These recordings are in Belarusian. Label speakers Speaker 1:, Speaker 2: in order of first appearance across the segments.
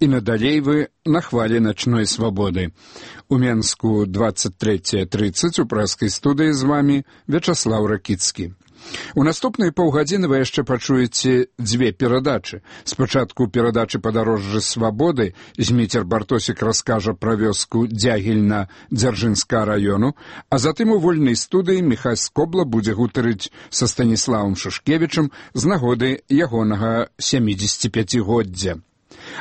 Speaker 1: і надалей вы на хвалі начной свабоды. У Менску 23:30 у прэскай студыі з вамі Вячаслаў Ракіцкі. У наступныя паўгадзіны вы яшчэ пачуеце дзве перадачы. Спачатку перадачы «Падарожжы свабоды» Зміцер Бартосік раскажа пра вёску Дзягільна Дзяржынскага раёну, а затым у вольнай студыі Міхась Скобла будзе гутарыць са Станіславам Шушкевічам з нагоды ягонага 75-годдзя.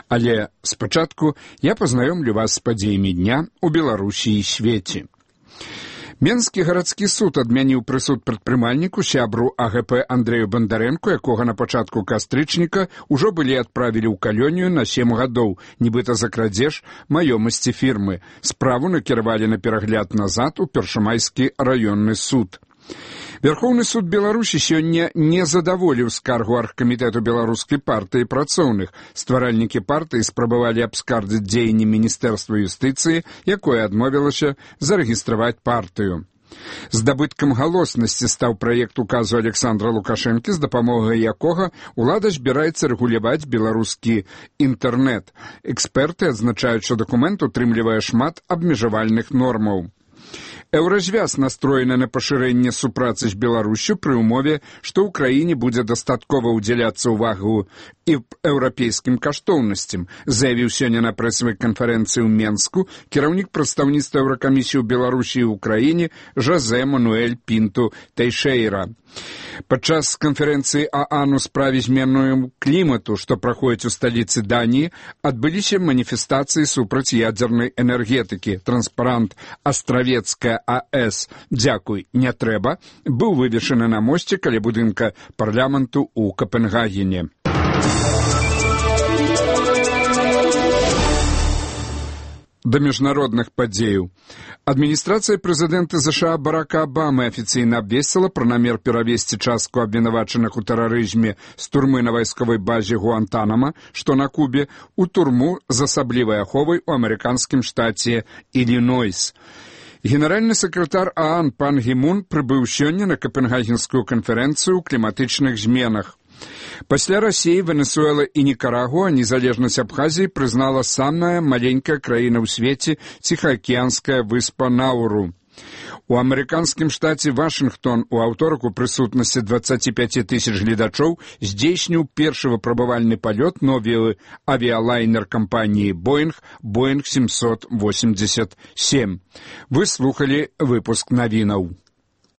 Speaker 1: Але спачатку я пазнаёмлю вас з падзеямі дня ў Беларусі і свеце. Менскі гарадскі суд адмяніў прысуд прадпрымальніку сябру АГП Андрэю Бандарэнку, якога на пачатку кастрычніка ўжо былі адправілі ў калонію на 7 гадоў, нібыта за крадзеж маёмасці фірмы. Справу накіравалі на перагляд назад у Першамайскі раённы суд. Верховны суд Беларусі сёння не задаволіў скаргу аргкамітэту беларускай партыі працоўных. Стваральнікі партыі спрабавалі абскардзіць дзеянні Міністэрства юстыцыі, якое адмовілася зарэгістраваць партыю. Здабыткам галоснасці стаў праект указу Александра Лукашэнкі, з дапамогай якога ўлада збіраецца рэгуляваць беларускі інтэрнэт. Эксперты адзначаюць, што дакумент утрымлівае шмат абмежавальных нормаў. Еўразвяз настроена на пашырэнне супрацы з Беларусю пры ўмове, што ў краіне будзе дастаткова ўдзяляцца ўвагу і еўрапейскім каштоўнасцям, заявіў сёння на прэсавай канферэнцыі ў Менску кіраўнік прадстаўніцтва Еўракамісіі ў Беларусі і ўкраіне Жозе Мануэль Пінту Тэйшэйра. Падчас канферэнцыі ААН у справе змены клімату, што праходзіць у сталіцы Даніі, адбыліся маніфестацыі супраць ядзернай энергетыкі. Транспарант «Астравецкая АЭС. Дзякуй, не трэба» быў вывешаны на мосце каля будынка парламенту ў Капенгагене. Да міжнародных падзеяў. Адміністрацыя прэзідэнта ЗША Барака Абамы афіцыйна абвесціла пра намер перавесці частку абвінавачаных у тэрарызме з турмы на вайсковай базе Гуантанама, што на Кубе, у турму з асаблівай аховай у амерыканскім штаце Ілінойс. Генеральны сакратар ААН пан Гі Мун прыбыў сёння на Капенгагенскую канферэнцыю ў кліматычных зменах. Пасля Расіі, Венесуэла і Нікарагуа незалежнасць Абхазіі прызнала самая маленькая краіна ў свеце ціхаакіянская выспа Науру. У амерыканскім штаце Вашынгтон у аўторак у прысутнасці 25 тысяч гледачоў здзейсніў першы выпрабавальны палёт новы авіялайнер кампаніі Боінг 787. Вы слухалі выпуск навінаў.